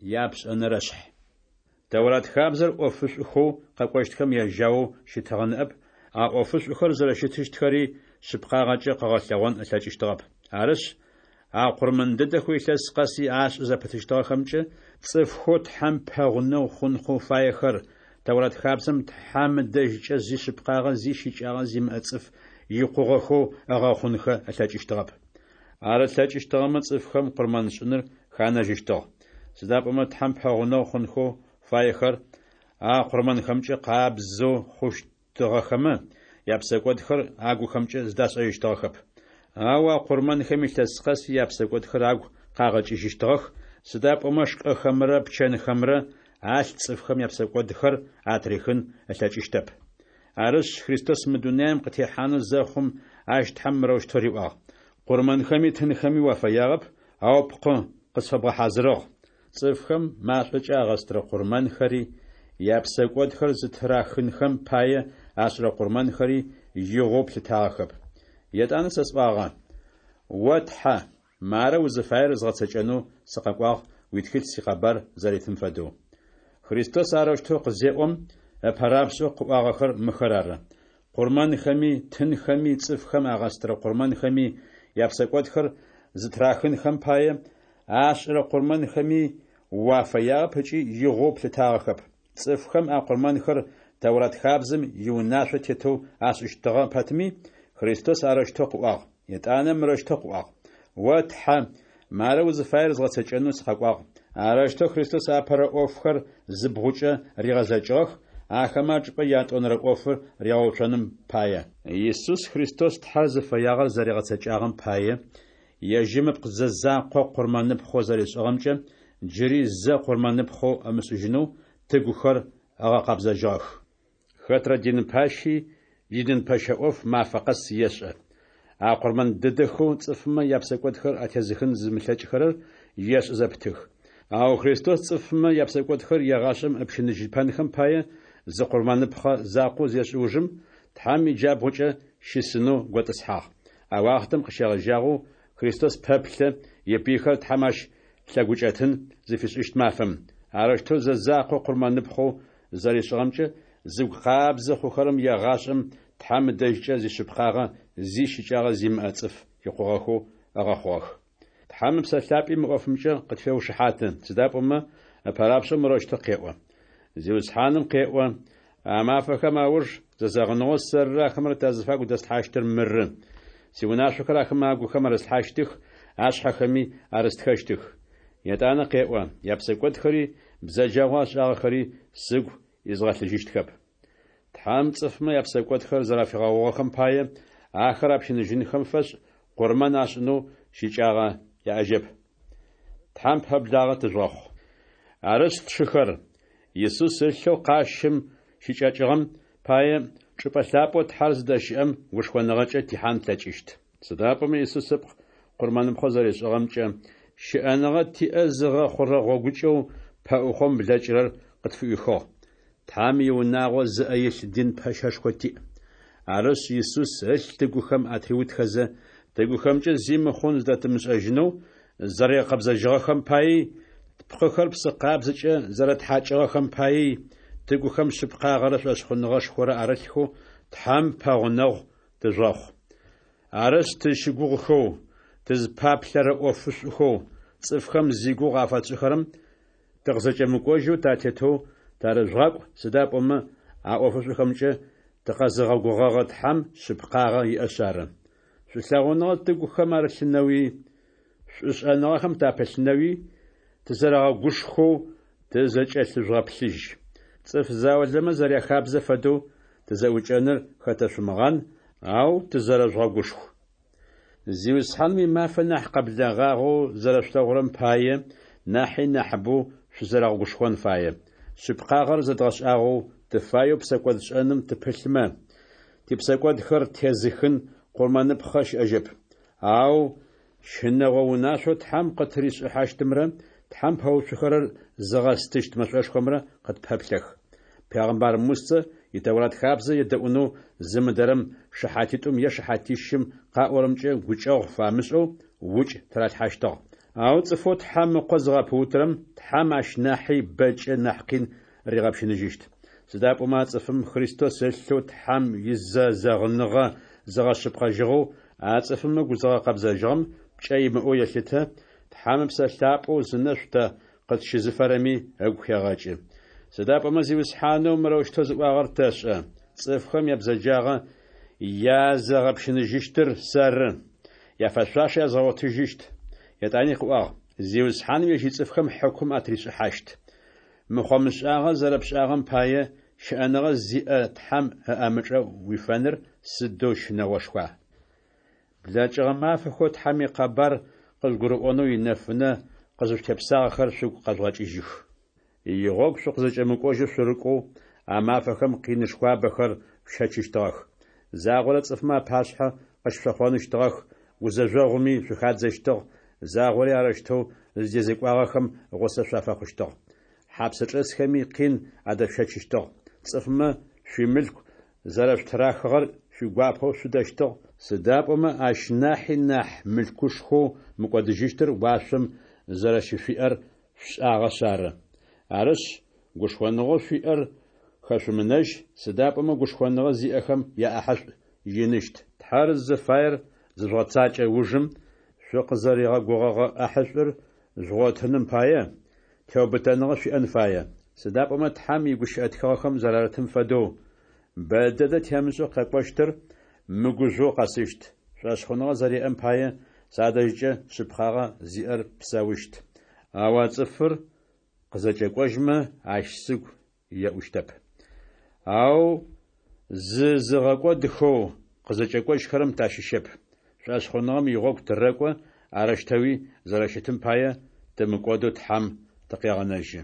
Япшӏэнэрэшъхь. Тэурат хабзэр ӏофышӏухэу къэкӏощтхэм яжьаоу щытыгъэ ныӏэп, а ӏофышӏухэр зэрэщытыщтхэри шъыпкъагъэкӏэ къыгъэлъэгъон ылъэкӏыщтыгъэп. Арышъ, а къурмэн дэдэхэу илъэс къэси ашӏы зэпытыщтыгъэхэмкӏэ цӏыфхэу Тхьэм пэгъунэгъу хъунхэу фаехэр Тэурат хабзэм Тхьэм ыдэжькӏэ зи шъыпкъагъэ зи щыкӏагъэ зимыӏэ цӏыф икъугъэхэу ыгъэхъунхэ ылъэкӏыщтыгъэп. Ар ылъэкӏыщтыгъэмэ, цӏыфхэм къурмэншӏыныр ханэжьыщтыгъ. Сыда пӏомэ Тхьэм пэгъунэгъу хъунхэу фаехэр а къурмэнхэмкӏэ къабзэу хъущтыгъэхэмэ, япсэкӏодхэр агухэмкӏэ зыдашӏэжьыщтыгъэхэп. Ау а къурмэнхэм илъэс къэси япсэкӏодхэр агу къагъэкӏыжьыщтыгъэх, сыда пӏомэ шкӏэхэмрэ пчэнхэмрэ алъ цӏыфхэм япсэкӏодхэр атырихын ылъэкӏыщтэп. Арышъ, Христос мы дунаим къытехьанэу зэхъум, ащ Тхьэм мырэущтэу риӏуагъ: Къурмэнхэми тынхэми уафэягъэп, ау пкъы къысфэбгъэхьазырыгъ. Цӏыфхэм машӏокӏэ агъэстырэ къурмэнхэри, япсэкӏодхэр зытырахынхэм пае ашӏырэ къурмэнхэри игъоу плъытагъэхэп. Етӏанэ сэ сӏуагъэ: О Тхьэ, мары узыфаер згъэцэкӏэнэу сыкъэкӏуагъ уитхылъ сикъэбар зэритым фэдэу. Христос арэущтэу къызеӏом, ыпэрапшӏэу къыӏуагъэхэр мыхэр ары: Къурмэнхэми, тынхэми, цӏыфхэм агъэстырэ къурмэнхэми, япсэкӏодхэр зытырахынхэм пае ашӏырэ къурмэнхэми уафэягъэп ыкӏи игъоу плъытагъэхэп. Цӏыфхэм а къурмэнхэр Тэурат хабзэм иунашъо тетэу ашӏыщтыгъэ пэтми, Христос арэущтэу къыӏуагъ. Етӏанэ мырэущтэу къыӏуагъ: О Тхьэ, мары узыфаер згъэцэкӏэнэу сыкъэкӏуагъ. Арэущтэу Христос апэрэ ӏофхэр зыбгъукӏэ ригъэзэкӏыгъэх, ахэмэ ачӏыпӏэ ятӏонэрэ ӏофыр ригъэуцоным пае. Исус Христос Тхьэр зыфэягъэр зэригъэцэкӏагъэм пае, ежьым ыпкъ зэ закъо къурмэныпхъэу зэришӏыгъэмкӏэ джыри зэ къурмэныпхъэу ымышӏыжьынэу тыгухэр ыгъэкъэбзэжьыгъэх. Хэтрэ дин пащи идин пэщэ ӏоф мафэ къэс ешӏэ. А къурмэн дэдэхэу цӏыфмэ япсэкӏодхэр атезыхын зымылъэкӏхэрэр ешӏы зэпытых. Ау Христос цӏыфмэ япсэкӏодхэр егъашӏэм ыпщыныжьыпэнхэм пае, зы къурмэныпхъэ закъо зешӏ ужым, Тхьэм иджабгъукӏэ щысынэу готӏысхьагъ. А уахътэм къыщегъэжьагъэу Христос пэплъэ ипыйхэр Тхьэм ащ лъэгукӏэтын зыфишӏыщт мафэм. Арэущтэу зэ закъо къурмэныпхъэу зэришӏыгъэмкӏэ зыгу къабзэ хъухэрэм егъашӏэм Тхьэм ыдэжькӏэ зишъыпкъагъэ зи щыкӏагъэ зимыӏэ цӏыф икъугъэхэу ыгъэхъугъэх. Тхьэм Ыпсэ Лъапӏи мы ӏофымкӏэ къытфеушыхьаты, сыда пӏомэ ыпэрапшӏэу мырэущтэу къеӏо. Зиусхьаным къеӏо: А мафэхэм ауж зэзэгъыныгъэу сэрырэ ахэмрэ тазыфагу дэслъхьащтыр мыры. Сиунашъохэр ахэмэ агухэм арыслъхьащтых, ашъхьэхэми арыстхэщтых. Етӏанэ къеӏо: Япсэкӏодхэри бзэджагъэу ашӏагъэхэри сыгу изгъэлъыжьыщтхэп. Тхьэм цӏыфмэ япсэкӏодхэр зэрафигъэгъугъэхэм пае, ахэр апщыныжьынхэм фэшӏ къурмэн ашӏынэу щыкӏагъэ яӏэжьэп. Тхьэм пэблагъэ тыжъугъэхъу. Арышъ, тшыхэр, Исус ылъэу къащым щыкӏэкӏыгъэм пае, чӏыпӏэ лъапӏэу Тхьэр зыдэщыӏэм гушхоныгъэкӏэ тихьан тлъэкӏыщт. Сыда пӏомэ Исус ыпкъ къурмэныпхъэу зэришӏыгъэмкӏэ, щыӏэныгъэ тиӏэ зыгъэхъурэ гъогукӏэу пэӏухъом блэкӏырэр къытфыӏуихыгъ. Тхьэм иунагъо зыӏэ илъ дин пэщэшхо тиӏ. Арышъ, Исус ылъ тыгухэм атыриутхэзэ, тыгухэмкӏэ зи мыхъун зыдэтымышӏэжьынэу зэригъэкъэбзэжьыгъэхэм паий, тпкъыхэр псы къабзэкӏэ зэрэтхьакӏыгъэхэм паий, тыгухэм шъыпкъагъэрэ шӏошъхъуныгъэшхорэ арылъхэу Тхьэм пэгъунэгъу тыжъугъэхъу. Арышъ, тызщыгугъыхэу, тызпаплъэрэ ӏофышӏухэу цӏыфхэм зигугъу афэтшӏыхэрэм тыкъызэкӏэмыкӏожьэу татетэу тарыжъугъакӏу, сыда пӏомэ а ӏофышӏухэмкӏэ тыкъэзыгъэгугъэгъэ Тхьэм шъыпкъагъэ иӏэшъ ары. Шӏулъэгъуныгъэ тыгухэм арылъынэуи, шӏушӏэныгъэхэм тапылъынэуи тызэрэгъэгушхоу тызэкӏэлъыжъугъэплъыжь. Цӏыф заулэмэ зэряхабзэ фэдэу тызэӏукӏэныр хэтэшъумыгъан, ау тызэрэжъугъэгушху. Зиусхьаным имафэ нахь къэблэгъагъэу зэрэшъулъэгъурэм пае, нахьи нахьыбэу шъузэрэгъэгушхон фае. Шъыпкъагъэр зэдгъэшӏагъэу, тыфаеу псэкӏодшӏэным тыпылъмэ, типсэкӏодхэр тезыхын къурмэныпхъэ щыӏэжьэп. Ау щынэгъо унашъоу Тхьэм къытыришӏыхьащтымрэ Тхьэм пэуцухэрэр зыгъэстыщт мэшӏошхомрэ къытпэплъэх. Пегъымбар Мусэ и Тэурат хабзэ едэӏунэу зымыдэрэм шыхьатитӏум е шыхьатищым къаӏорэмкӏэ гукӏэгъу фамышӏэу укӏ тыралъхьащтыгъ. Ау цӏыфэу Тхьэм Ыкъо зыгъэпыутырэм Тхьэм ащ нахьи бэкӏэ нахь къин ригъэпщыныжьыщт. Сыда пӏомэ а цӏыфым Христос ылъэу Тхьэм изэзэгъыныгъэ зыгъэшъыпкъэжьыгъэу, а цӏыфым ыгу зыгъэкъэбзэжьыгъэм пкӏэ имыӏэу елъытэ, Тхьэм Ыпсэ Лъапӏэу зынэшӏу тэ къытщызыфэрэми ыгу хегъэкӏы. Сыда пӏомэ Зиусхьанэу мырэущтэу зыӏуагъэр тэшӏэ: Цӏыфхэм ябзэджагъэ языгъэпщыныжьыщтыр сэры, яфэшъуашэ язгъэгъотыжьыщт. Етӏани къыӏуагъ: Зиусхьаным ежь ицӏыфхэм хьыкум атришӏыхьащт. Мыхъо-мышӏагъэ зэрэпшӏагъэм пае, щыӏэныгъэ зиӏэ Тхьэм ыӏэмычӏэ уифэныр сыдэу щынэгъошхуа! Блэкӏыгъэ мафэхэу Тхьэм икъэбар къыжъугурыӏонэу инэфынэ къызышъутепсагъэхэр шъугу къэжъугъэкӏыжьых. Игъогу шъукъызэкӏэмыкӏожьэу шъурыкӏоу, а мафэхэм къинышхуабэхэр шъущэчыщтыгъэх. Загъорэ цӏыфмэ апашъхьэ къыщышъохъоныщтыгъэх, гузэжъогъуми шъухадзэщтыгъ, загъори арэущтэу зыдэзекӏуагъэхэм гъусэ шъуафэхъущтыгъ. Хьапсчӏэсхэми къин адэшъущэчыщтыгъ. Цӏыфмэ шъуимылъку зэрэшъутырахыгъэр шъуигуапэу шъудэщтыгъ, сыда пӏомэ ащ нахьи нахь мылъкушхоу мыкӏодыжьыщтыр уашъом зэрэщышъуиӏэр шъушӏагъэшъ ары. Арышъ, гушхоныгъэу шъуиӏэр хэшъумынэжь, сыда пӏомэ гушхоныгъэ зиӏэхэм яӏахьышӏу иныщт. Тхьэр зыфаер зыжъугъэцакӏэ ужым, шъукъызэригъэгугъэгъэ ӏахьышӏур жъугъотыным пае, теубытэныгъэ шъуиӏэн фае. Сыда пӏомэ Тхьэм игущыӏэ тхыгъэхэм зэрарытым фэдэу, Бэ дэдэ темышӏэу къэкӏощтыр мыгужъоу къэсыщт. Шӏошъхъуныгъэ зэриӏэм пае, садэжькӏэ шъыпкъагъэ зиӏэр псэущт. Ау а цӏыфыр къызэкӏэкӏожьмэ, ащ сыгу еӏущтэп. Ау зызыгъэкӏодхэу къызэкӏэкӏожьхэрэм тащыщэп. Шӏошъхъуныгъэм игъогу тырэкӏо, арэущтэуи зэрэщытым пае, тымыкӏодэу Тхьэм тыкъегъэнэжьы.